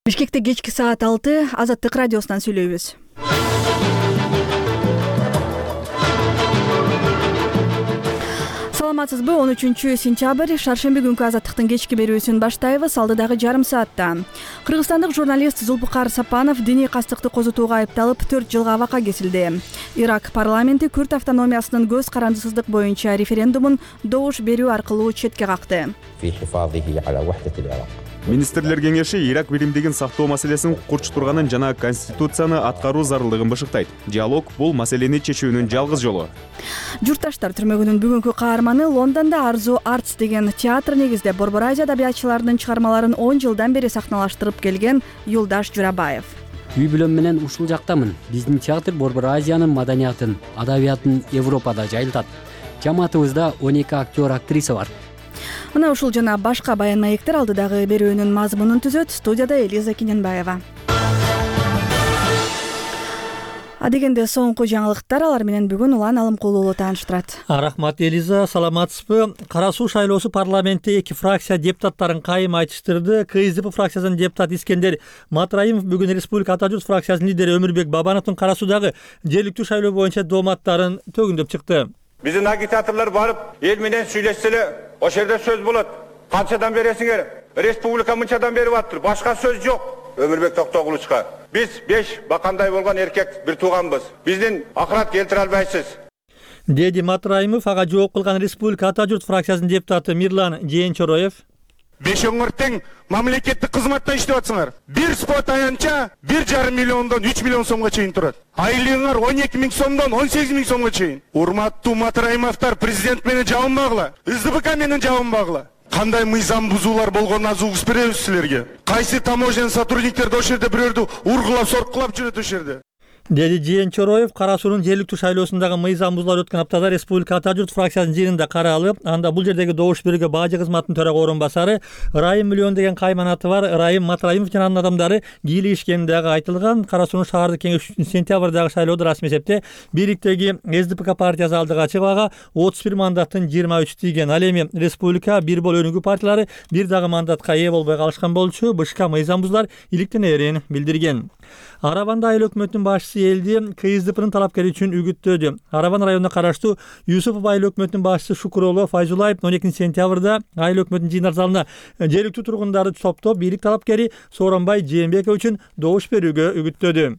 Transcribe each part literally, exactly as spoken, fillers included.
Бишкекте кечки саат алты Азаттык радиосунан сүйлөйбүз. Саламатсызбы? он үчүнчү сентябрь шаршемби күнкү Азаттыктын кечки берүүсүн баштайбыз. Алдыдагы жарым саатта кыргызстандык журналист Зулпукар Сапанов диний кастыкты козутууга айыпталып төрт жылга абакка кесилди. Ирак парламенти Күрд автономиясынын көз карандысыздык боюнча референдумун добуш берүү аркылуу четке какты. Министрлер кеңеши Ирак биримдигин сактоо маселесин курч турганын жана конституцияны аткаруу зарылдыгын бышыктайт. Диалог бул маселени чечүүнүн жалгыз жолу. Журтташтар түрмөгүнүн бүгүнкү каарманы Лондондо Арзу Артс деген театр негизде Борбор Азия адабиятчыларынын чыгармаларын он жылдан бери сахналаштырып келген Юлдаш Журабаев. Үй бүлөм менен ушул жактамын. Биздин театр Борбор Азиянын маданиятын, адабиятын Европада жайылтат. Жамаатыбызда он эки актер, актриса бар. Мына ушул жана башка баян маектер алдыдагы берүүнүн мазмунун түзөт. Студияда Элиза Кененбаева. А дегенде соңку жаңылыктар, алар менен бүгүн Улан Алымкулуу тааныштырат. Рахмат Элиза, саламатсызбы? Кара суу шайлоосу парламентте эки фракция депутаттарын кайым айтыштырды. КСДП фракциясынын депутаты Искендер Матраимов бүгүн Республика Ата журт фракциясынын лидери Өмүрбек Бабановдун Кара суудагы жергиликтүү шайлоо боюнча дооматтарын төгүндөп чыкты. Биздин агитаторлор барып, эл менен сүйлөшсө эле, ошол жерде сөз болот. Канчадан бересиңер? Республика мынчадан берип атыр. Башка сөз жок. Өмүрбек Токтогулучка. Биз беш бакандай болгон эркек бир тууганбыз. Биздин акырат келтире албайсыз. Деди Матраимов. Ага жооп кылган Республика Ата журт фракциясынын депутаты Мирлан Жээнчороев. Беш өңүртең мамлекеттик кызматта иштеп атсыңар. Бир спот аянча бир жарым миллиондон үч миллион сомго чейин турат. Айлыгыңар он эки миң сомдон он сегиз миң сомго чейин. Урматтуу Матраимовтар, президент менен жабынбагыла. СДПК менен жабынбагыла. Кандай мыйзам бузуулар болгонун азугус беребиз силерге. Кайсы таможен сотрудниктерди ошол жерде бирөөрдү ургулап, соркулап жүрөт ошол жерде. Деди Жээнчороев. Кара суунун жергиликтүү шайлоосундагы мыйзам бузуулар өткөн аптада Республика Ата журт фракциясынын жыйынында каралып, анда бул жердеги добуш берүүгө бажы кызматынын төрага орун басары Райым Миллион деген кайманаты бар Райым Матраимов жана анын адамдары кийлигишкени дагы айтылган. Кара суунун шаардык кеңеш үчүн сентябрдагы шайлоодо расмий эсепте бийликтеги СДПК партиясы алдыга чыгып, ага отуз бир мандаттын жыйырма үчү тийген. Ал эми Республика бир бол өнүгүү партиялары бир дагы мандатка ээ болбой калышкан болчу. БШК мыйзам бузуулар иликтенерин билдирген. Арабанда айыл өкмөтүнүн башчысы элди КСДПнын талапкери үчүн үгүттөдү. Арабан районуна караштуу Юсупов айыл өкмөтүнүн башчысы Шукуроло Файзулаев он экинчи сентябрда айыл өкмөтүнүн жыйындар залына жергиликтүү тургундарды топтоп бийлик талапкери Сооронбай Жээнбеков үчүн добуш берүүгө үгүттөдү.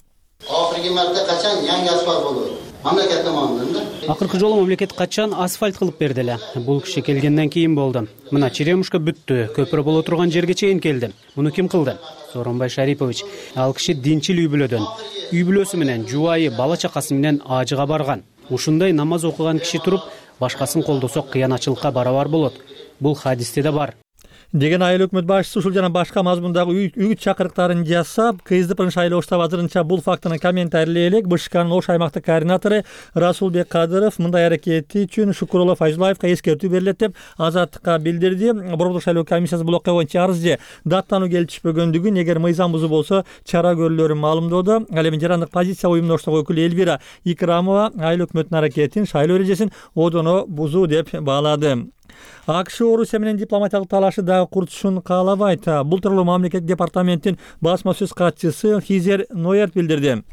Акыркы марта качан жаңы асфальт болду? Мамлекет tomonidan. Акыркы жолу мамлекет качан асфальт кылып берди эле. Бул киши келгенден кийин болду. Мына Черемушка бүттү, көпүрө боло турган жерге чейин келди. Муну ким кылды? Сооронбай Шарипович. Ал киши динчил үй бүлөдөн. Үй бүлөсү менен, жубайы, бала чакасы менен ажыга барган. Ушундай намаз окуган киши туруп, башкасын колдосо кыянатчылыкка барабар болот. Бул хадисте да бар. Деген айыл өкмөт башчысы ушул жана башка мазмундагы үгүт чакырыктарын жасап, КСДПнын шайлоо штабы азырынча бул фактыны комментарийлей элек. БШКнын Ош аймактык координатору Расулбек Кадыров мындай аракети үчүн Шукуроло Файзулаевка эскертүү берилет деп Азаттыкка билдирди. Борбордук шайлоо комиссиясы бул окуя боюнча арыз же даттануу келишпөгөндүгүн, эгер мыйзам бузуу болсо чара көрүлөрүн маалымдоодо. Ал эми жарандык позиция уюмдоштугу өкүлү Элвира Икрамова айыл өкмөтүнүн аракетин шайлоо эрежесин одоно бузуу деп баалады. АКШ Орусия менен дипломатиялык талашы дагы курчушун каалабайт. Бул тууралуу мамлекет департаменттин басма сөз катчысы Хизер Ноерт билдирди.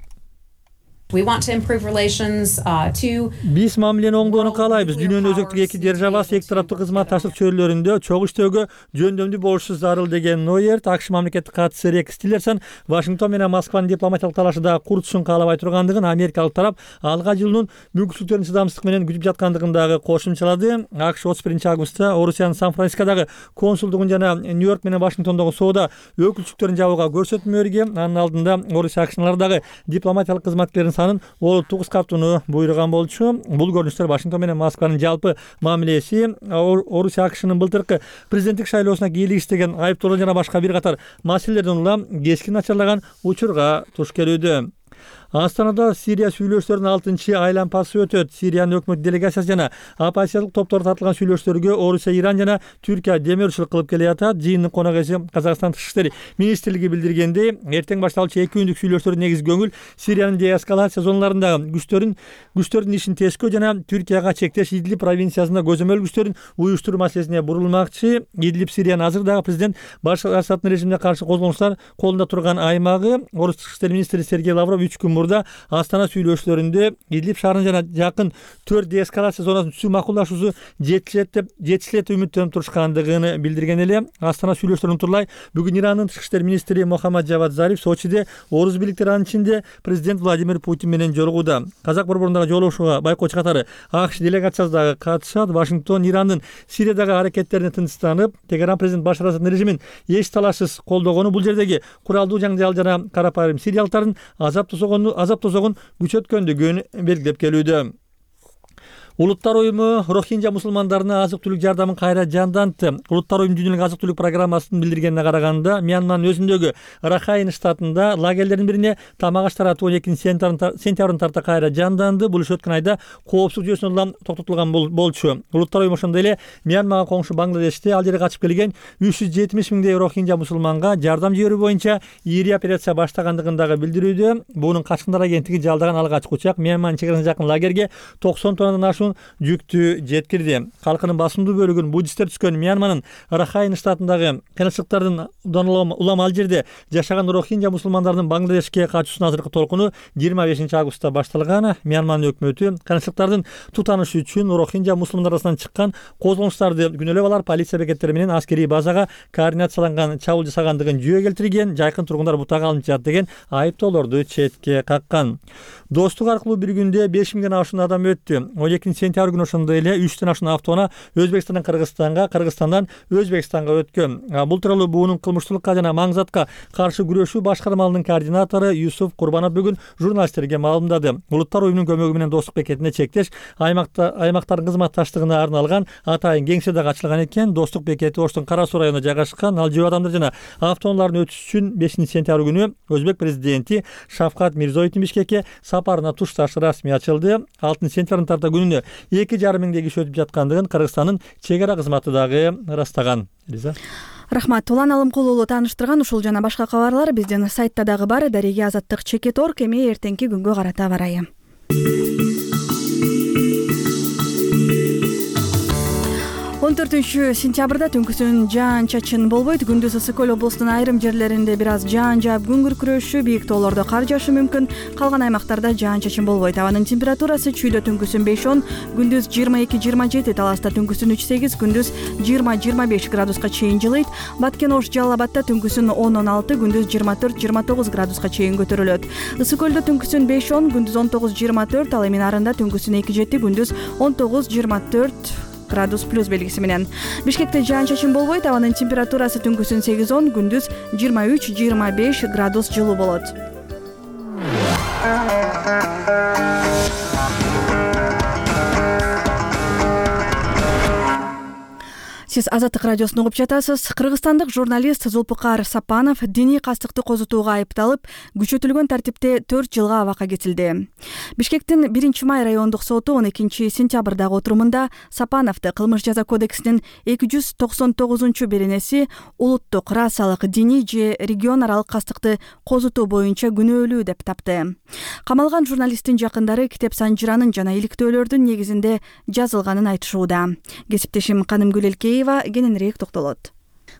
We want to improve relations uh, to Биз мамилени оңдоону каалайбыз. Дүйнөнүн өзөктүк эки державасы эки тараптуу кызматташтык чөйрөлөрүндө чогуу иштөөгө жөндөмдүү болушу зарыл деген Ноерт. АКШ мамлекеттик катчысы Рекс Тиллерсон Вашингтон менен Москванын дипломатиялык талашы дагы курчушун каалабай тургандыгын, америкалык тарап алга жылуунун мүмкүнчүлүктөрүн чыдамсыздык менен күтүп жаткандыгын дагы кошумчалады. АКШ отуз биринчи августта Орусиянын Сан-Францискодогу консулдугун жана Нью-Йорк менен Вашингтондогу соода өкүлчүлүктөрүн жабууга көрсөтмө берген. Анын алдында Орусия АКШнын дипломатиялык кызматкерлеринин санын олуттуу кыскартууну буйруган болчу. Бул көрүнүштөр Вашингтон менен Москванын жалпы мамилеси, Орусия АКШнын былтыркы президенттик шайлоосуна кийлигиштеген айыптоолор жана башка бир катар маселелерден улам кескин начарлаган учурга туш келүүдө. Астанада Сирия сүйлөшүүлөрүнүн алтынчы айланпасы өтөт. Сириянын өкмөт делегациясы жана оппозициялык топтор тартылган сүйлөшүүлөргө Орусия, Иран жана Түркия демөөрчүлүк кылып келатат. Жыйындын конок эси Казакстан Тышкы иштер министрлиги билдиргендей, эртең башталчу эки күндүк сүйлөшүүлөрдүн негизги көңүл Сириянын деэскалация зоналарындагы күчтөрүн күчтөрдүн ишин тескөө жана Түркияга чектеш Идлиб провинциясында көзөмөл күчтөрүн уюштуруу маселесине бурулмакчы. Идлиб Сириянын азыр дагы президент Башар Асаддын режимине каршы козголуштар колунда турган аймагы. Орус Тышкы иштер министри Сергей Лавров үч күн мурда Астана сүйлөшүүлөрүндө Идлиб шаарынын жана жакын төрт деэскалация зонасын түзүү макулдашуусу жетишет деп жетишет үмүттөнүп турушкандыгын билдирген эле. Астана сүйлөшүүлөрүн унутурлай, бүгүн Ирандын тышкы иштер министри Мохаммад Жавад Зариф Сочиде орус бийликтери анын ичинде президент Владимир Путин менен жолугууда. Казак борборундагы жолугушууга байкоочу катары АКШ делегациясы дагы катышат. Вашингтон Ирандын Сириядагы аракеттерине тынчтанып, Тегеран президент Башар Асаддын режимин эч талашсыз колдогону, бул жердеги куралдуу жаңжал жана карапайым сириялыктардын азап тосогону азап тосогон күчөткөндүгүн белгилеп келүүдө. Улуттар уюму Рохинжа мусулмандарына азык-түлүк жардамын кайра жандантты. Улуттар уюму дүйнөлүк азык-түлүк программасынын билдиргенине караганда, Мьянманын өзүндөгү Рахайн штатында лагерлердин бирине тамак аш таратуу он экинчи сентябрдын тарта кайра жанданды. Бул иш өткөн айда коопсуздук жүйөсүнөн улам токтотулган болчу. Улуттар уюму ошондой эле Мьянмага коңшу Бангладеште ал жерге качып келген үч жүз жетимиш миңдей Рохинжа мусулманга жардам жиберүү боюнча ири операция баштагандыгын дагы билдирүүдө. Бунун Качкындар агенттиги жалдаган алгачкы учак Мьянманын чек арасына жакын лагерге токсон тоннадан ашуун жүктү жеткирди. Калкынын басымдуу бөлүгүн буддисттер түзгөн Мьянманын Рахайн штатындагы кыйынчылыктардын улам ал жерде жашаган Рохинжа мусулмандарынын Бангладешке качуусунун азыркы толкуну жыйырма бешинчи августта башталган. Мьянманын өкмөтү кыйынчылыктардын тутанышы үчүн Рохинжа мусулмандар арасынан чыккан козголуштарды күнөөлөп алар полиция бекеттери менен аскерий базага координацияланган чабуул жасагандыгын жүйө келтирген. Жайкын тургундар бутага алынып жатат деген айыптоолорду четке каккан. Достук аркылуу бир күндө беш миңден ашуун адам өттү. он экинчи сентябрь күнү ошондой эле үчтөн ашуун автоунаа Өзбекстандан Кыргызстанга, Кыргызстандан Өзбекстанга өткөн. Бул тууралуу буунун кылмыштуулукка жана маңзатка каршы күрөшүү башкармалыгынын координатору Юсуф Курбанов бүгүн журналисттерге маалымдады. Улуттар уюмунун көмөгү менен достук бекетине чектеш аймакта аймактардын кызматташтыгына арналган атайын кеңсе дагы ачылган экен. Достук бекети Оштун Кара Суу районунда жайгашкан. Ал жөө адамдар жана автоунаалардын өтүшү үчүн бешинчи сентябрь күнү Өзбек президенти Шавкат Мирзоевдин Бишкекке сапарына тушташ расмий ачылды. алтынчы сентябрдын тарта күнүнө эки жарым миңдей киши өтүп жаткандыгын Кыргызстандын чек ара кызматы дагы ырастаган. Элиза. Рахмат. Улан Алымкулуу уулу тааныштырган ушул жана башка кабарлар биздин сайтта дагы бар. Дареги Азаттык чекит орг. Эми эртеңки күнгө карата барайы. он төртүнчү сентябрда түнкүсүн жаан чачын болбойт. Күндүз ысык көл облусунун айрым жерлеринде бир аз жаан жаап күн күркүрөшү, бийик тоолордо кар жаашы мүмкүн. Калган аймактарда жаан чачын болбойт. Абанын температурасы чүйдө түнкүсүн беш он, күндүз жыйырма эки жыйырма жети, Таласта түнкүсүн үч сегиз, күндүз жыйырма жыйырма беш градуска чейин жылыйт. Баткен Ош Жалал Абадта түнкүсүн он он алты, күндүз жыйырма төрт жыйырма тогуз градуска чейин көтөрүлөт. Ысык көлдө түнкүсүн беш он, күндүз он тогуз жыйырма төрт, ал эми Нарында түнкүсүн эки жети, күндүз он тогуз жыйырма төрт градус плюс белгиси менен. Бишкекте жаан чачын болбойт. Абанын температурасы түнкүсүн сегиз он, күндүз жыйырма үч жыйырма беш градус жылуу болот. Сиз Азаттык радиосун угуп жатасыз. Кыргызстандык журналист Зулпукар Сапанов диний кастыкты козутууга айыпталып, күчөтүлгөн тартипте төрт жылга абакка кетилди. Бишкектин биринчи май райондук соту он экинчи сентябрдагы отурумунда Сапановду кылмыш жаза кодексинин эки жүз токсон тогузунчу беренеси улуттук, расалык, диний же регион аралык кастыкты козутуу боюнча күнөөлүү деп тапты. Камалган журналисттин жакындары Китеп Санжыранын жана иликтөөлөрдүн негизинде жазылганын айтышууда. Кесиптешим Канымгүл Элкеева кененирээк токтолот.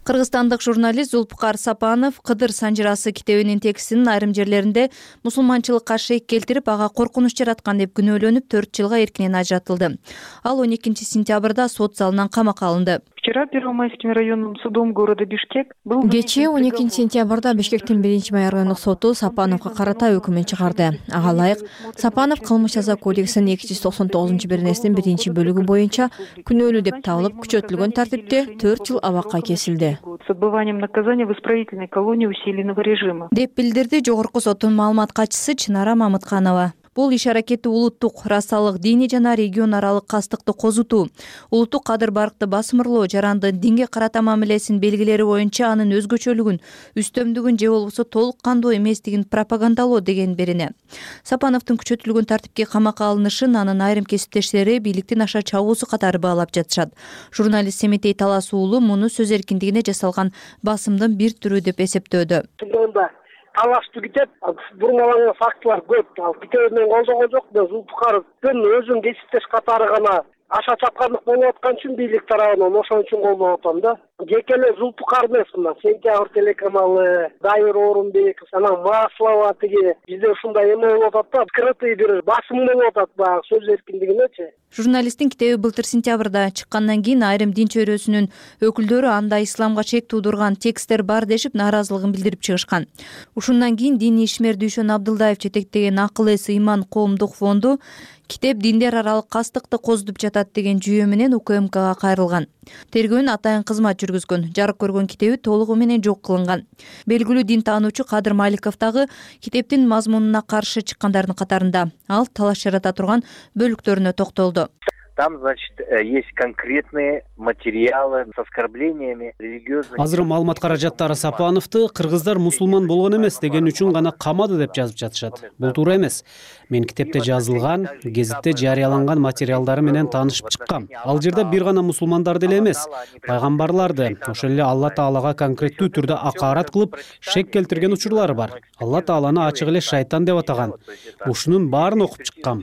Кыргызстандык журналист Зулпукар Сапанов Кыдыр Санжырасы китебинин текстинин айрым жерлеринде мусулманчылыкка шек келтирип, ага коркунуч жараткан деп күнөөлөнүп төрт жылга эркинен ажыратылды. Ал он экинчи сентябрда сот залынан камакка алынды. Вчера Первомайским районным судом города Бишкек был... Кечээ он экинчи сентябрда Бишкектин биринчи май райондук соту Сапановго карата өкүмүн чыгарды. Ага ылайык Сапанов кылмыш жаза кодексинин эки жүз токсон тогузунчу беренесинин биринчи бөлүгү боюнча күнөөлүү деп табылып, күчөтүлгөн тартипте төрт жыл абакка кесилди. С отбыванием наказания в исправительной колонии усиленного режима. Деп билдирди жогорку соттун маалымат катчысы Чынара Мамытканова. Бул иш-аракети улуттук, расалык, диний жана регион аралык кастыкты козутуу, улуттук кадыр баркты басмырлоо, жарандын динге карата мамилесинин белгилери боюнча анын өзгөчөлүгүн, үстөмдүгүн же болбосо толук кандуу эместигин пропагандалоо деген берене. Сапановдун күчөтүлгөн тартипке камакка алынышын анын айрым кесиптештери бийликтин аша чабуусу катары баалап жатышат. Журналист Семетей Талас уулу муну сөз эркиндигине жасалган басымдын бир түрү деп эсептөөдө. Талашты китеп, бурмаланган фактылар көп. Ал китебин мен колдогон жокмун. Зулпукаровдун өзүнүн кесиптеш катары гана аша чапкандык болуп аткан үчүн бийлик тарабынан ошон үчүн колдоп атам да. Жеке эле Зулпукар эмес мына Сентябрь телеканалы, Дайыр Орунбеков, анан Маслова тиги бизде ушундай эме болуп атат да, открытый бир басым болуп атат баягы сөз эркиндигинечи. Журналисттин китеби былтыр сентябрда чыккандан кийин айрым дин чөйрөсүнүн өкүлдөрү анда исламга чек туудурган тексттер бар дешип нааразылыгын билдирип чыгышкан. Ушундан кийин диний ишмер Дүйшөн Абдылдаев жетектеген Акыл эс ыйман коомдук фонду китеп диндер аралык кастыкты козутуп жатат деген жүйө менен У К М Кга кайрылган. Тергөөнүн атайын кызмат жүргүзгөн. Жарык көргөн китеби толугу менен жок кылынган. Белгилүү дин таануучу Кадыр Маликов дагы китептин мазмунуна каршы чыккандардын катарында. Ал талаш жарата турган бөлүктөрүнө токтолду. Там, значит, есть конкретные материалы с оскорблениями религиозных. Азыр маалымат каражаттары Сапановду кыргыздар мусулман болгон эмес деген үчүн гана камады деп жазып жатышат. Бул туура эмес. Мен китепте жазылган, гезитте жарыяланган материалдары менен таанышып чыккам. Ал жерде бир гана мусулмандарды эле эмес, пайгамбарларды, ошол эле Алла Таалага конкреттүү түрдө акаарат кылып, шек келтирген учурлары бар. Алла Тааланы ачык эле шайтан деп атаган. Ушунун баарын окуп чыккам.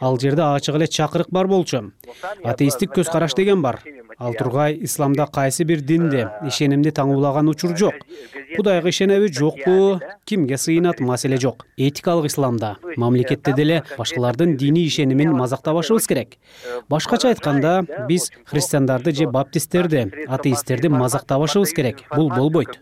Ал жерде ачык эле чакырык бар болчу. Атеисттик көз караш деген бар. Ал тургай исламда кайсы бир динде ишенимди таңуулаган учур жок. Кудайга ишенеби жокпу, кимге сыйынат маселе жок. Этикалык исламда, мамлекетте деле башкалардын диний ишенимин мазактабашыбыз керек. Башкача айтканда, биз христиандарды же баптисттерди, атеисттерди мазактабашыбыз керек. Бул болбойт.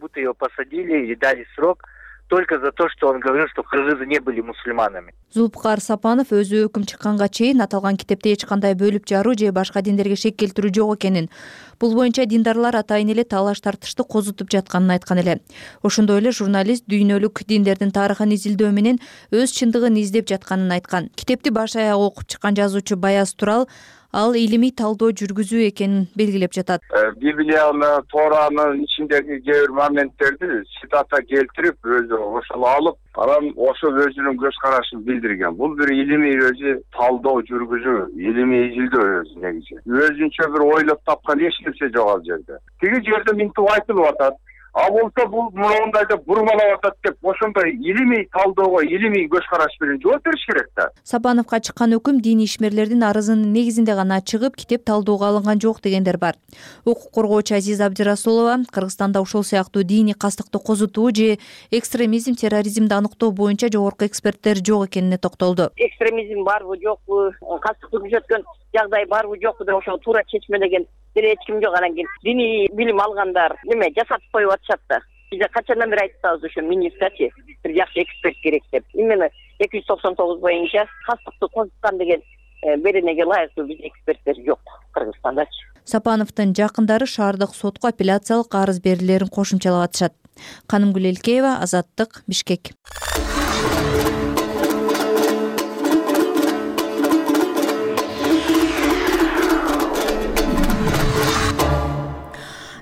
Только за то, что он говорил, что кыргызы не были мусульманами. Зулпукар Сапанов өзү өкүм чыкканга чейин аталган китепте эч кандай бөлүп жаруу же башка диндерге шек келтирүү жок экенин, бул боюнча диндарлар атайын эле талаш тартышты козутуп жатканын айткан эле. Ошондой эле журналист дүйнөлүк диндердин тарыхын изилдөө менен өз чындыгын издеп жатканын айткан. Китепти баш аяк окуп чыккан жазуучу Баяз Турал ал илимий талдоо жүргүзүү экенин белгилеп жатат. Библияны, Торанын ичиндеги кээ бир моменттерди цитата келтирип, өзү ошол алып, анан ошол өзүнүн көз карашын билдирген. Бул бир илимий өзү талдоо жүргүзүү, илимий изилдөө өзү негизи. Өзүнчө бир ойлоп тапкан эч нерсе жок ал жерде. Тиги жерде минтип айтылып атат. А болсо бул мындайда бурмалап атат деп ошондой илимий талоого, илимий көз караш менен жооп бериш керек да. Сапановго чыккан өкүм диний ишмерлердин арызынын негизинде гана чыгып, китеп талдоого алынган жок дегендер бар. Укук коргоочу Азиза Абдирасулова Кыргызстанда ушул сыяктуу диний кастыкты козутуу же экстремизм, терроризмди аныктоо боюнча жогорку эксперттер жок экенине токтолду. Экстремизм барбы жокпу, кастыкты күчөткөн жагдай барбы жокпу деп ошол туура чечмелеген эч ким жок. Анан кийин диний билим алгандар неме жасатып коюп атышат да. Бизде качандан бери айтып атабыз ошо министрчи бир жакшы эксперт керек деп. Именно эки жүз токсон тогуз боюнча кастыкты козуткан деген беренеге ылайыктуу биз эксперттер жок Кыргызстандачы. Сапановдун жакындары шаардык сотко апелляциялык арыз берүүлөрүн кошумчалап атышат. Канымгүл Элкеева, Азаттык, Бишкек.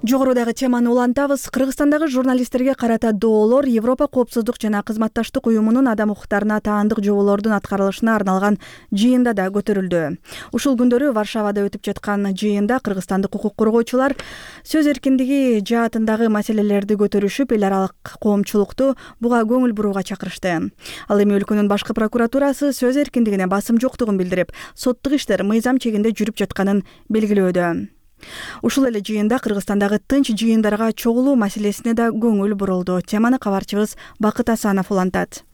Жогорудагы теманы улантабыз. Кыргызстандагы журналисттерге карата доолор Европа коопсуздук жана кызматташтык уюмунун адам укуктарына таандык жоболордун аткарылышына арналган жыйында да көтөрүлдү. Ушул күндөрү Варшавада өтүп жаткан жыйында кыргызстандык укук коргоочулар сөз эркиндиги жаатындагы маселелерди көтөрүшүп, эл аралык коомчулукту буга көңүл бурууга чакырышты. Ал эми өлкөнүн башкы прокуратурасы сөз эркиндигине басым жоктугун билдирип, соттук иштер мыйзам чегинде жүрүп жатканын белгилөөдө. Ушул эле жыйында Кыргызстандагы тынч жыйындарга чогулуу маселесине да көңүл бурулду. Теманы кабарчыбыз Бакыт Асанов улантат.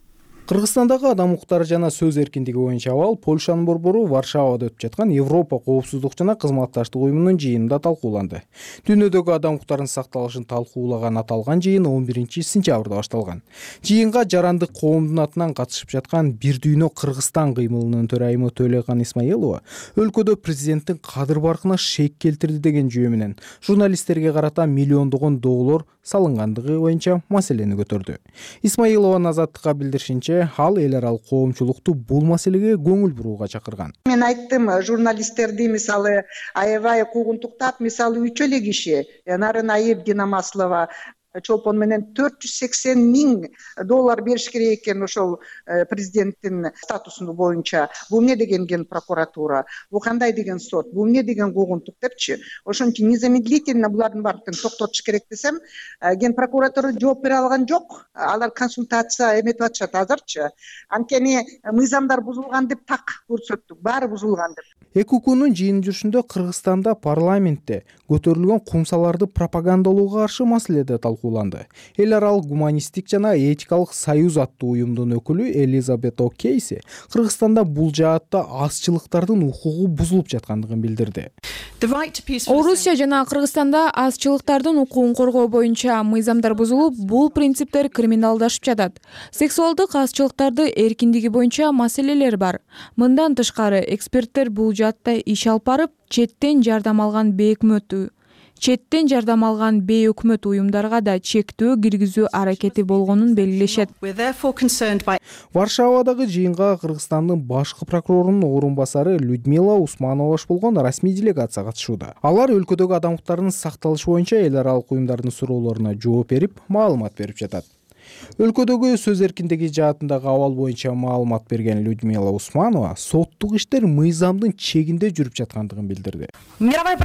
Кыргызстандагы адам укуктары жана сөз эркиндиги боюнча абал Польшанын борбору Варшавада өтүп жаткан Европа коопсуздук жана кызматташтык уюмунун жыйынында талкууланды. Дүйнөдөгү адам укуктарынын сакталышын талкуулаган аталган жыйын он биринчи сентябрда башталган. Жыйынга жарандык коомдун атынан катышып жаткан Бир дүйнө Кыргызстан кыймылынын төрайымы Төлөкан Исмаилова өлкөдө президенттин кадыр баркына шек келтирди деген жүйө менен журналисттерге карата миллиондогон доолор салынгандыгы боюнча маселени көтөрдү. Исмаилованын Азаттыкка билдиришинче, эле ал эл аралык коомчулукту бул маселеге көңүл бурууга чакырган. Мен айттым, журналисттерди мисалы аябай куугунтуктап, мисалы үч эле киши Нарын Айып, Дина Маслова чолпон менен төрт жүз сексен миң доллар бериш керек экен ошол президенттин статусу боюнча. Бул эмне деген ген прокуратура, бул кандай деген сот, бул эмне деген куугунтук депчи. Ошон үчүн незамедлительно булардын баардыгын токтотуш керек десем, ген прокуратура жооп бере алган жок. Алар консультация эметип атышат азырчы. Анткени мыйзамдар бузулган деп так көрсөттүк, баары бузулган деп. эки укуунун жыйын жүрүшүндө Кыргызстанда парламентте көтөрүлгөн кумсаларды пропагандалоого каршы маселе да талкууланды. Эл аралык гуманисттик жана этикалык союз аттуу уюмдун өкүлү Элизабет О'Кейси Кыргызстанда бул жаатта азчылыктардын укугу бузулуп жаткандыгын билдирди. Орусия жана Кыргызстанда азчылыктардын укугун коргоо боюнча мыйзамдар бузулуп, бул принциптер криминалдашып жатат. Сексуалдык азчылыктарды эркиндиги боюнча маселелер бар. Мындан тышкары эксперттер бул жаатта иш алып барып, четтен жардам алган бейөкмөт четтен жардам алган бейөкмөт уюмдарга да чектөө киргизүү аракети болгонун белгилешет. Варшавадагы жыйынга Кыргызстандын башкы прокурорунун орун басары Людмила Усманова баш болгон расмий делегация катышууда. Алар өлкөдөгү адам укуктарынын сакталышы боюнча эл аралык уюмдардын суроолоруна жооп берип, маалымат берип жатат. Өлкөдөгү сөз эркиндиги жаатындагы абал боюнча маалымат берген Людмила Усманова соттук иштер мыйзамдын чегинде жүрүп жаткандыгын билдирди. Дүйнөлүк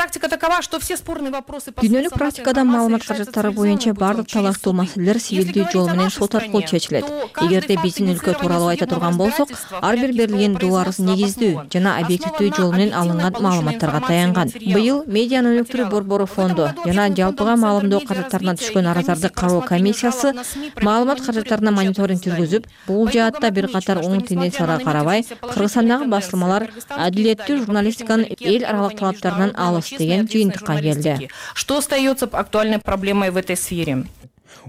практикада маалымат каражаттары боюнча бардык талаштуу маселелер сивилдүү жол менен сот аркылуу чечилет. Эгерде биздин өлкө тууралуу айта турган болсок, ар бир берилген доо арыз негиздүү жана объективдүү жол менен алынган маалыматтарга таянган. Быйыл Медианы өнүктүрүү борбору фонду жана жалпыга маалымдоо каражаттарына түшкөн арыздарды кароо комиссиясы маалымат каражаттарына мониторинг жүргүзүп, бул жаатта бир катар оң тенденцияга карабай, Кыргызстандагы басылмалар адилеттүү журналистиканын эл аралык талаптарынан алыс деген жыйынтыкка келди. Что остается актуальной проблемой в этой сфере?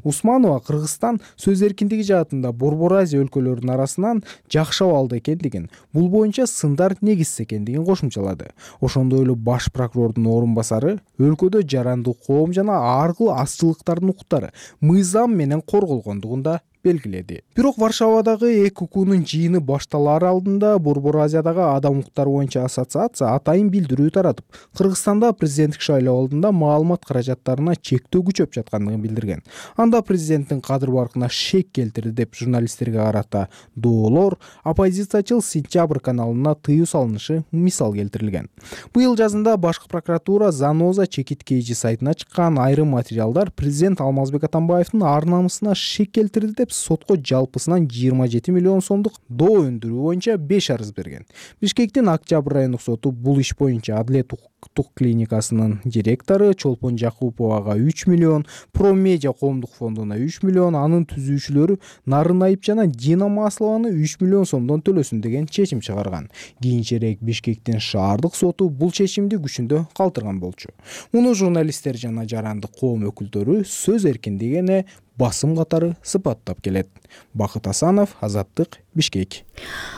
Усманова Кыргызстан сөз эркиндиги жаатында Борбор Азия өлкөлөрүнүн арасынан жакшы абалда экендигин, бул боюнча сындар негизсиз экендигин кошумчалады. Ошондой эле баш прокурордун орун басары өлкөдө жарандык коом жана ар кыл азчылыктардын укуктары мыйзам менен корголгондугун да белгиледи. Бирок Варшавадагы эки укуунун жыйыны башталаар алдында Борбор Азиядагы адам укуктары боюнча ассоциация атайын билдирүү таратып, Кыргызстанда президенттик шайлоо алдында маалымат каражаттарына чектөө күчөп жаткандыгын билдирген. Анда президенттин кадыр баркына шек келтирди деп журналисттерге карата доолор, оппозициячыл Сентябрь каналына тыюу салынышы мисал келтирилген. Быйыл жазында башкы прокуратура Заноза чекит кейжи сайтына чыккан айрым материалдар президент Алмазбек Атамбаевдин ар намысына шек келтирди деп сотко жалпысынан жыйырма жети миллион сомдук доо өндүрүү боюнча беш арыз берген. Бишкектин Октябрь райондук соту бул иш боюнча Адилет укуктук клиникасынын директору Чолпон Жакуповага үч миллион, Промедиа коомдук фондуна үч миллион, анын түзүүчүлөрү Нарын Айып жана Дина Маслованы үч миллион сомдон төлөсүн деген чечим чыгарган. Кийинчерээк Бишкектин шаардык соту бул чечимди күчүндө калтырган болчу. Муну журналисттер жана жарандык коом өкүлдөрү сөз эркиндигине басым катары сыпаттап келет. Бакыт Асанов, Азаттык, Бишкек.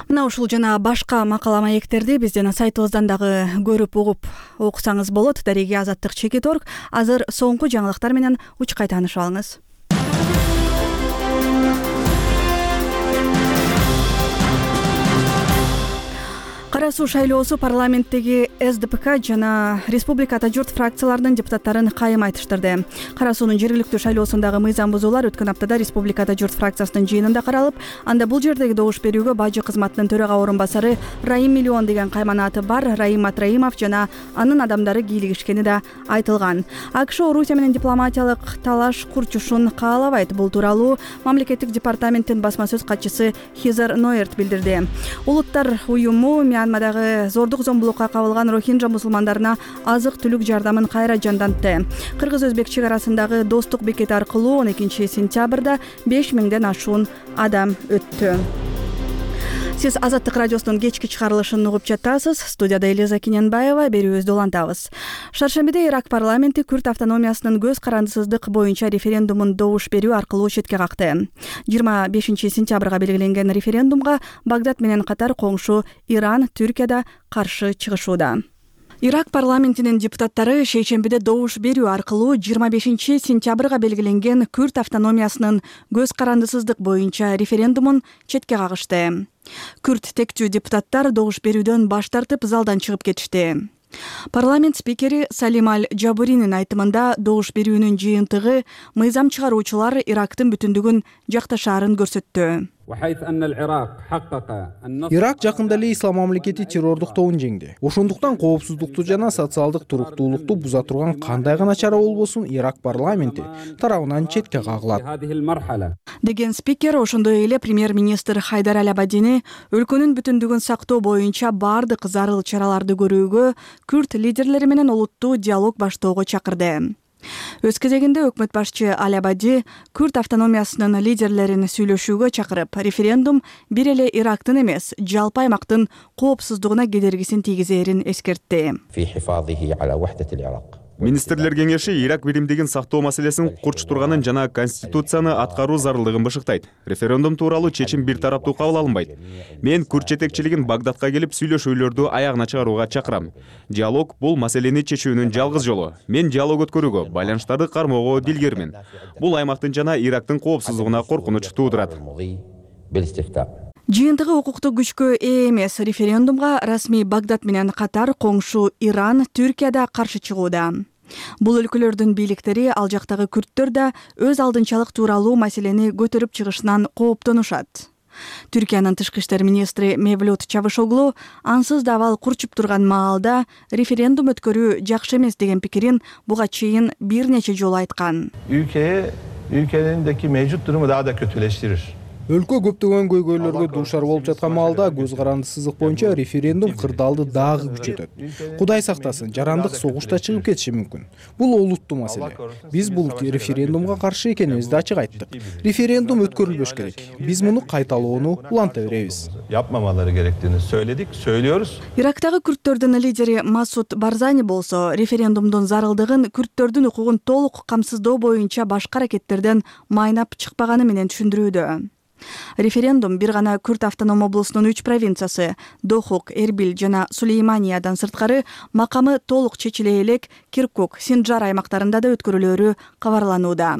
Мына ушул жана башка макала маектерди биздин сайтыбыздан дагы көрүп угуп окусаңыз болот. Дареги Азаттык чекит орг. Азыр соңку жаңылыктар менен учкай таанышып алыңыз. Кара суу шайлоосу парламенттеги эс ди пи ка жана Республика Ата журт фракцияларынын депутаттарын кайым айтыштырды. Кара суунун жергиликтүү шайлоосундагы мыйзам бузуулар өткөн аптада Республика Ата журт фракциясынын жыйынында каралып, анда бул жердеги добуш берүүгө бажы кызматынын төрага орун басары Раим Миллион деген кайманаты бар Раим Атраимов жана анын адамдары кийлигишкени да айтылган. АКШ Орусия менен дипломатиялык талаш курчушун каалабайт. Бул тууралуу мамлекеттик департаменттин басма сөз катчысы Хизер Ноерт билдирди. Улуттар уюму Мьянмадагы зордук зомбулукка кабылган рохинджа мусулмандарына азык-түлүк жардамын кайра жандантты. Кыргыз-өзбек чек арасындагы достук бекети аркылуу он экинчи сентябрда беш миңден ашуун адам өттү. Сиз Азаттык радиосунун кечки чыгарылышын угуп жатасыз. Студияда Элиза Кененбаева, берүүбүздү улантабыз. Шаршембиде Ирак парламенти Күрд автономиясынын көз карандысыздык боюнча референдумун добуш берүү аркылуу четке какты. жыйырма бешинчи сентябрга белгиленген референдумга Багдад менен катар коңшу Иран, Түркия да каршы чыгышууда. Ирак парламентинин депутаттары шейшембиде добуш берүү аркылуу жыйырма бешинчи сентябрга белгиленген Күрд автономиясынын көз карандысыздык боюнча референдумун четке кагышты. Күрд тектүү депутаттар добуш берүүдөн баш тартып залдан чыгып кетишти. Парламент спикери Салим Аль-Джабуринин айтымында добуш берүүнүн жыйынтыгы мыйзам чыгаруучулар Ирактын бүтүндүгүн жакташаарын көрсөттү. Ирак жакында эле ислам мамлекети террордук тобун жеңди. Ошондуктан коопсуздукту жана социалдык туруктуулукту буза турган кандай гана чара болбосун Ирак парламенти тарабынан четке кагылат деген спикер ошондой эле премьер-министр Хайдар Аль-Абадини өлкөнүн бүтүндүгүн сактоо боюнча баардык зарыл чараларды көрүүгө, Күрд лидерлери менен олуттуу диалог баштоого чакырды. Өз кезегинде өкмөт башчы Аль-Абади Күрд автономиясынын лидерлерин сүйлөшүүгө чакырып, референдум бир эле Ирактын эмес, жалпы аймактын коопсуздугуна кедергисин тийгизээрин эскертти. Министрлер кеңеши Ирак биримдигин сактоо маселесин курч турганын жана конституцияны аткаруу зарылдыгын бышыктайт. Референдум тууралуу чечим бир тараптуу кабыл алынбайт. Мен Күрд жетекчилигин Багдадка келип сүйлөшүүлөрдү аягына чыгарууга чакырам. Диалог бул маселени чечүүнүн жалгыз жолу. Мен диалог өткөрүүгө, байланыштарды кармоого дилгермин. Бул аймактын жана Ирактын коопсуздугуна коркунуч туудурат. Жыйынтыгы укуктук күчкө ээ эмес референдумга расмий Багдад менен катар коңшу Иран, Түркия да каршы чыгууда. Бул өлкөлөрдүн бийликтери ал жактагы күрттөр да өз алдынчалык тууралуу маселени көтөрүп чыгышынан кооптонушат. Түркиянын тышкы иштер министри Мевлют Чавушоглу ансыз да абал курчуп турган маалда референдум өткөрүү жакшы эмес деген пикирин буга чейин бир нече жолу айткан. Ülkeye, ülkedeki mevcut durumu daha da kötüleştirir. Өлкө көптөгөн көйгөйлөргө дуушар болуп жаткан маалда көз карандысыздык боюнча референдум кырдаалды дагы күчөтөт. Кудай сактасын, жарандык согуш да чыгып кетиши мүмкүн. Бул олуттуу маселе. Биз бул референдумга каршы экенибизди ачык айттык. Референдум өткөрүлбөш керек. Биз муну кайталоону уланта беребиз. Yapmamaları gerektiğini söyledik, söylüyoruz. Ирактагы күрттөрдүн лидери Масуд Барзани болсо, референдумдун зарылдыгын күрттөрдүн укугун толук камсыздоо боюнча башка аракеттерден майнап чыкпаганы менен түшүндүрүүдө. Референдум бир гана Күрд автоном облусунун үч провинциясы Дохук, Эрбил жана Сулейманиядан сырткары макамы толук чечиле элек Киркук, Синджар аймактарында да өткөрүлөөрү кабарланууда.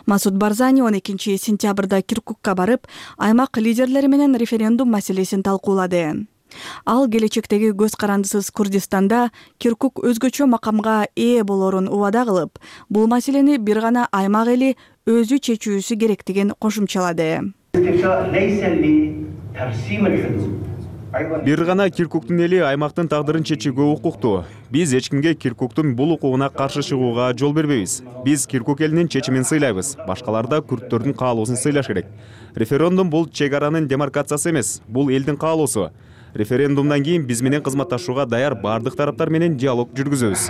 Масуд Барзани он экинчи сентябрда Киркукка барып, аймак лидерлери менен референдум маселесин талкуулады. Ал келечектеги көз карандысыз Курдистанда Киркук өзгөчө макамга ээ болорун убада кылып, бул маселени бир гана аймак эли өзү чечүүсү керектигин кошумчалады. Бир гана Киркуктун эли аймактын тагдырын чечүүгө укуктуу. Биз эч кимге Киркуктун бул укугуна каршы чыгууга жол бербейбиз. Биз Киркук элинин чечимин сыйлайбыз. Башкалар да күрттөрдүн каалоосун сыйлаш керек. Референдум бул чек аранын демаркациясы эмес, бул элдин каалоосу. Референдумдан кийин биз менен кызматташууга даяр бардык тараптар менен диалог жүргүзөбүз.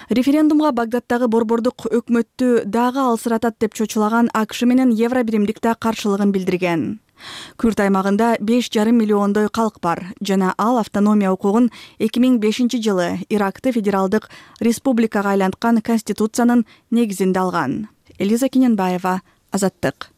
Референдумга Багдадтагы борбордук өкмөттү дагы алсыратат деп чочулаган АКШ менен Евробиримдик да каршылыгын билдирген. Күрд аймагында беш жарым миллиондой калк бар жана ал автономия укугун эки миң бешинчи жылы Иракты федералдык республикага айланткан конституциянын негизинде алган. Элиза Кененбаева, Азаттык.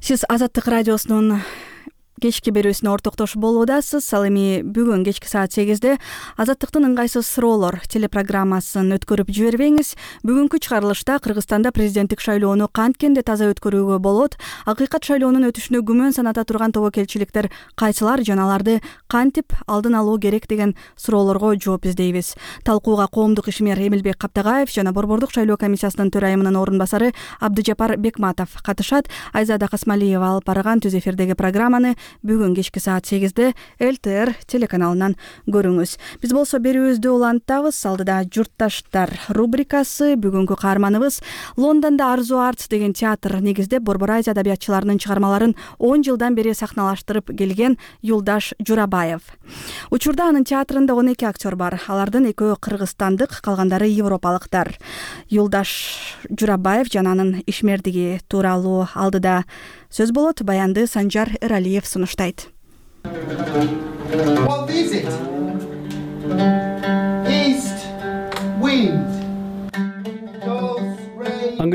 Сиз Азаттык радиосунун кечки берүүсүнө ортоктошуп болуудасыз. Ал эми бүгүн кечки саат сегизде Азаттыктын ыңгайсыз суроолор телепрограммасын өткөрүп жибербеңиз. Бүгүнкү чыгарылышта Кыргызстанда президенттик шайлоону канткенде таза өткөрүүгө болот, акыйкат шайлоонун өтүшүнө күмөн саната турган тобокелчиликтер кайсылар жана аларды кантип алдын алуу керек деген суроолорго жооп издейбиз. Талкууга коомдук ишмер Эмилбек Каптагаев жана борбордук шайлоо комиссиясынын төрайымынын орун басары Абдыжапар Бекматов катышат. Айзада Касмалиева алып барган түз эфирдеги программаны бүгүн кечки саат сегизде эл тэ эр телеканалынан көрүңүз. Биз болсо берүүбүздү улантабыз. Алдыда журтташтар рубрикасы. Бүгүнкү каарманыбыз Лондондо Арзу Арт деген театр негизде Борбор Азия адабиятчыларынын чыгармаларын он жылдан бери сахналаштырып келген Юлдаш Журабаев. Учурда анын театрында он эки актер бар. Алардын экөө кыргызстандык, калгандары европалыктар. Юлдаш Журабаев жана анын ишмердиги тууралуу алдыда сөз болот. Баянды Санжар Эралиев сунуштайт. What is it? East wind.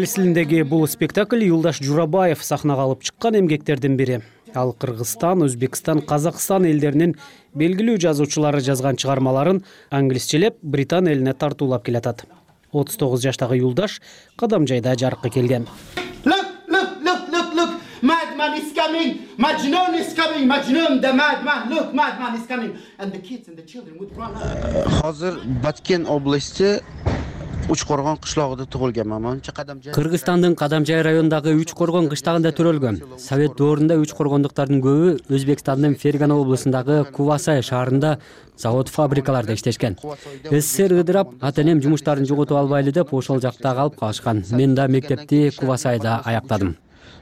англис тилиндеги бул спектакль Юлдаш Журабаев сахнага алып чыккан эмгектердин бири. Ал Кыргызстан, Өзбекстан, Казакстан элдеринин белгилүү жазуучулары жазган чыгармаларын англисчелеп Британ элине тартуулап келатат. отуз тогуз жаштагы Юлдаш кадам жайда жарыкка келген. Madman is coming. Majnun is coming. Majnun, the madman. Look, madman is coming. And the kids and the children would run out. Hozir Batken oblasti Учкоргон кышлогунда туулганмын. Манча Кадамжай. Кыргызстандын Кадамжай районундагы Учкоргон кыштагында төрөлгөм. Совет доорунда Учкоргондуктардын көбү Өзбекстандын Фергана облусундагы Кувасай шаарында завод фабрикаларда иштешкен. СССР ыдырап, ата-энем жумуштарын жоготуп албайлы деп ошол жакта калып калышкан. Мен да мектепти Кувасайда аяктадым.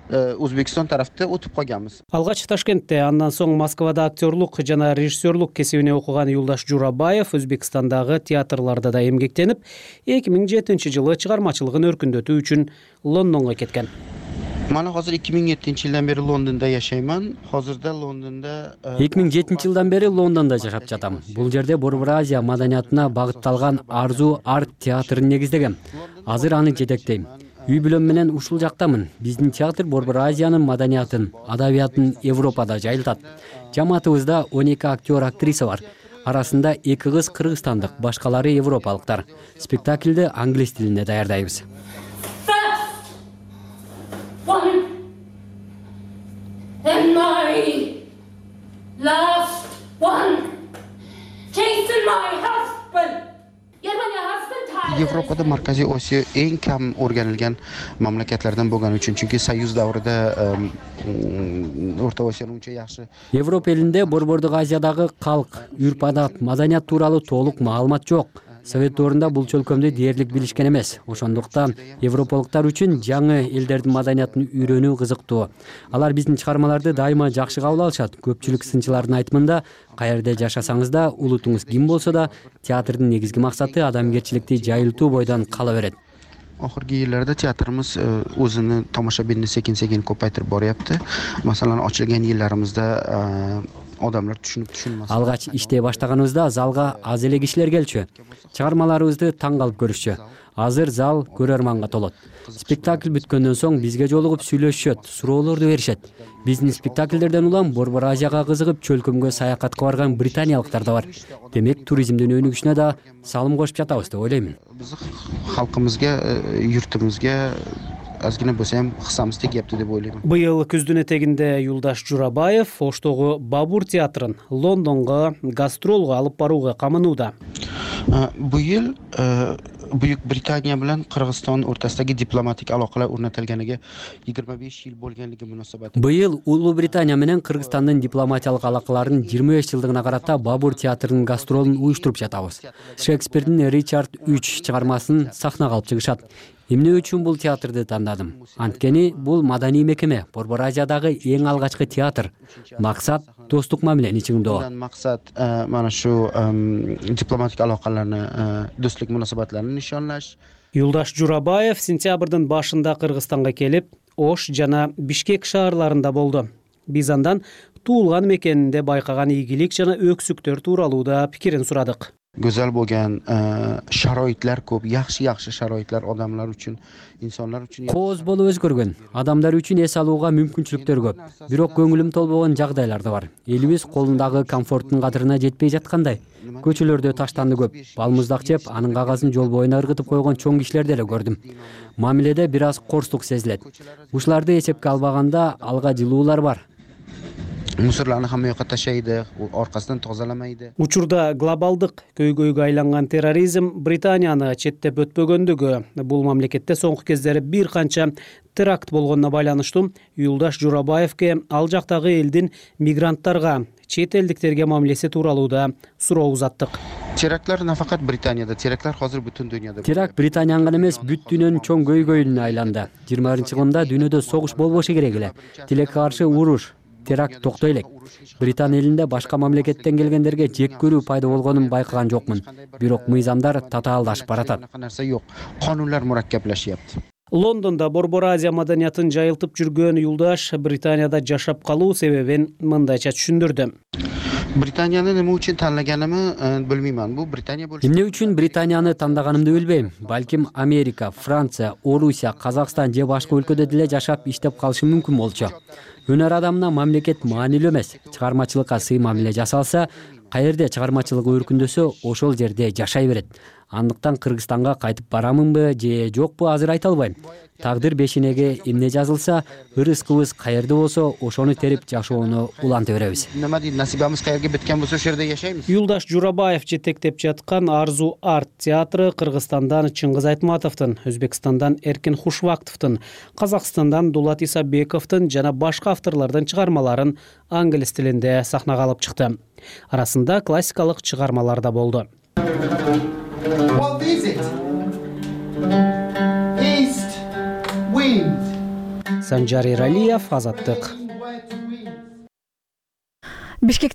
Өзбекстан тарафта утуп койганбыз. Алгач Ташкентте, андан соң Москвада актерлук жана режиссерлук кесибине окуган Юлдаш Журабаев Өзбекстандагы театрларда да эмгектенип, эки миң жетинчи жылы чыгармачылыгын өркүндөтүү үчүн Лондонго кеткен. Мана азыр эки миң жетинчи жылдан бери Лондондо жашайман. Азырда Лондондо эки миң жетинчи жылдан бери Лондондо жашап жатам. Бул жерде Борбор Азия маданиятына багытталган Арзу арт театрын негиздегем. Азыр аны жетектейм. Үй бүлөм менен ушул жактамын. Биздин театр Борбор Азиянын маданиятын, адабиятын Европада жайылтат. Жамаатыбызда он эки актер, актриса бар. Арасында эки кыз кыргызстандык, башкалары европалыктар. Спектакльди англис тилинде даярдайбыз. Европада Markaziy Osiyo eng kam o'rganilgan mamlakatlardan bo'lgani uchun, chunki Soyuz davrida O'rta Osiyoni uncha yaxshi. Европа элинде Борбордук Азиядагы калк, үрп-адат, маданият тууралуу толук маалымат жок. Совет доорунда бул чөлкөмдү дээрлик билишкен эмес. Ошондуктан европалыктар үчүн жаңы элдердин маданиятын үйрөнүү кызыктуу. Алар биздин чыгармаларды дайыма жакшы кабыл алышат. Көпчүлүк сынчылардын айтымында, каерде жашасаңыз да, улутуңуз ким болсо да, театрдын негизги максаты адамгерчиликти жайылтуу бойдон кала берет. Oxirgi yillarda teatrimiz o'zini tomoshabinni sekin-sekin ko'paytirib boryapti. Masalan, ochilgan yillarimizda odamlar tushunib tushunmas. Алгач иштей баштаганыбызда залга аз эле кишилер келчү. Чыгармаларыбызды таң калып көрүшчү. Азыр зал көрөрманга толот. Спектакль бүткөндөн соң бизге жолугуп сүйлөшүшөт, суроолорду беришет. Биздин спектакльдерден улам Борбор Азияга кызыгып чөлкөмгө саякатка барган британиялыктар да бар. Демек, туризмдин өнүгүшүнө да салым кошуп жатабыз деп ойлоймун. Биз халкыбызга, юртубузга азгина болсо ham хissamiz тегипти деп ойлоймун. Быйыл күздүн этегинде Юлдаш Журабаев Оштогу Бабур театрын Лондонго гастролго алып барууга камынууда. Bu yil Buyuk Britaniya bilan Qirg'iziston o'rtasidagi diplomatik aloqalar o'rnatilganiga yigirma besh yil bo'lganligi munosabati. Быйыл Улуу Британия менен Кыргызстандын дипломатиялык алакаларынын жыйырма беш жылдыгына карата Бабур театрынын гастролун уюштуруп жатабыз. Шекспирдин Ричард үч чыгармасын сахнага алып чыгышат. Эмне үчүн бул театрды тандадым? Анткени бул маданий мекеме, Борбор Азиядагы эң алгачкы театр. Максат достук мамилени чыңдоо. Максат mana shu diplomatik aloqalarni, do'stlik munosabatlarini nishonlash. Юлдаш Журабаев сентябрдын башында Кыргызстанга келип, Ош жана Бишкек шаарларында болду. Биз андан туулган мекенинде байкаган ийгилик жана өксүктөр тууралуу да пикирин сурадык. Go'zal bo'lgan sharoitlar ko'p, yaxshi-yaxshi sharoitlar odamlar uchun, insonlar uchun. Кооз болуп өзгөргөн, адамдар үчүн эс алууга мүмкүнчүлүктөр көп. Бирок көңүлүм толбогон жагдайлар да бар. Элибиз колундагы комфорттун кадырына жетпей жаткандай. Көчөлөрдө таштанды көп. Балмуздак жеп, анын кагазын жол боюна ыргытып койгон чоң кишилерди эле көрдүм. Мамиледе бир аз корстук сезилет. Ушуларды эсепке албаганда алга жылуулар бар. Мусорларны хамма жакка ташайды, аркасынан тозаламайды. Учурда глобалдык көйгөйгө айланган терроризм Британияны четтеп өтпөгөндүгү, бул мамлекетте соңку кездери бир канча теракт болгонуна байланыштуу Юлдаш Журабаевке ал жактагы элдин мигранттарга, чет элдиктерге мамилеси тууралуу да суроо узаттык. Терактлар нафакат Британияда, терактлар азыр бүтүн дүйнөдө. Теракт Британияны гана эмес, бүт дүйнөнүн чоң көйгөйүнө айланды. жыйырма биринчи кылымда дүйнөдө согуш болбошу керек эле. Тилекке каршы уруш, теракт токтой элек. Британ элинде башка мамлекеттен келгендерге жек көрүү пайда болгонун байкаган жокмун. Бирок мыйзамдар татаалдашып баратат. Нарса жок. Канунlar murakkablashayapti. Лондонда Борбор Азия маданиятын жайылтып жүргөн Юлдаш Британияда жашап калуу себебин мындайча түшүндүрдү. Britaniyani nima uchun tanlaganimni bilmayman. Bu Britaniya bo'lishi. Эмне үчүн Британияны тандаганымды билбейм. Балким Америка, Франция, Орусия, Казакстан же башка өлкөдө деле жашап иштеп калышым мүмкүн болчу. Өнөр адамына мамлекет маанилүү эмес. Чыгармачылыкка сый мамиле жасалса, каерде чыгармачылыгы өркүндөсө, ошол жерде жашай берет. Андыктан Кыргызстанга кайтып барамынбы же жокпу азыр айта албайм. Тагдыр бешинеге эмне жазылса, ырыс-кыбыз каерде болсо, ошону терип жашоону уланта беребиз. Nima deydi, nasibamiz qayerga bitgan bo'lsa, o'sha yerda yashaymiz. Юлдаш Журабаев жетектеп жаткан Арзу арт театры Кыргызстандан Чыңгыз Айтматовдун, Өзбекстандан Эркин Хушвактовдун, Казакстандан Дулат Исабековдун жана башка авторлордун чыгармаларын англис тилинде сахнага алып чыкты. Арасында классикалык чыгармалар да болду. What is it? East wind. Санжар Иралиев, Азаттык. Бишкекте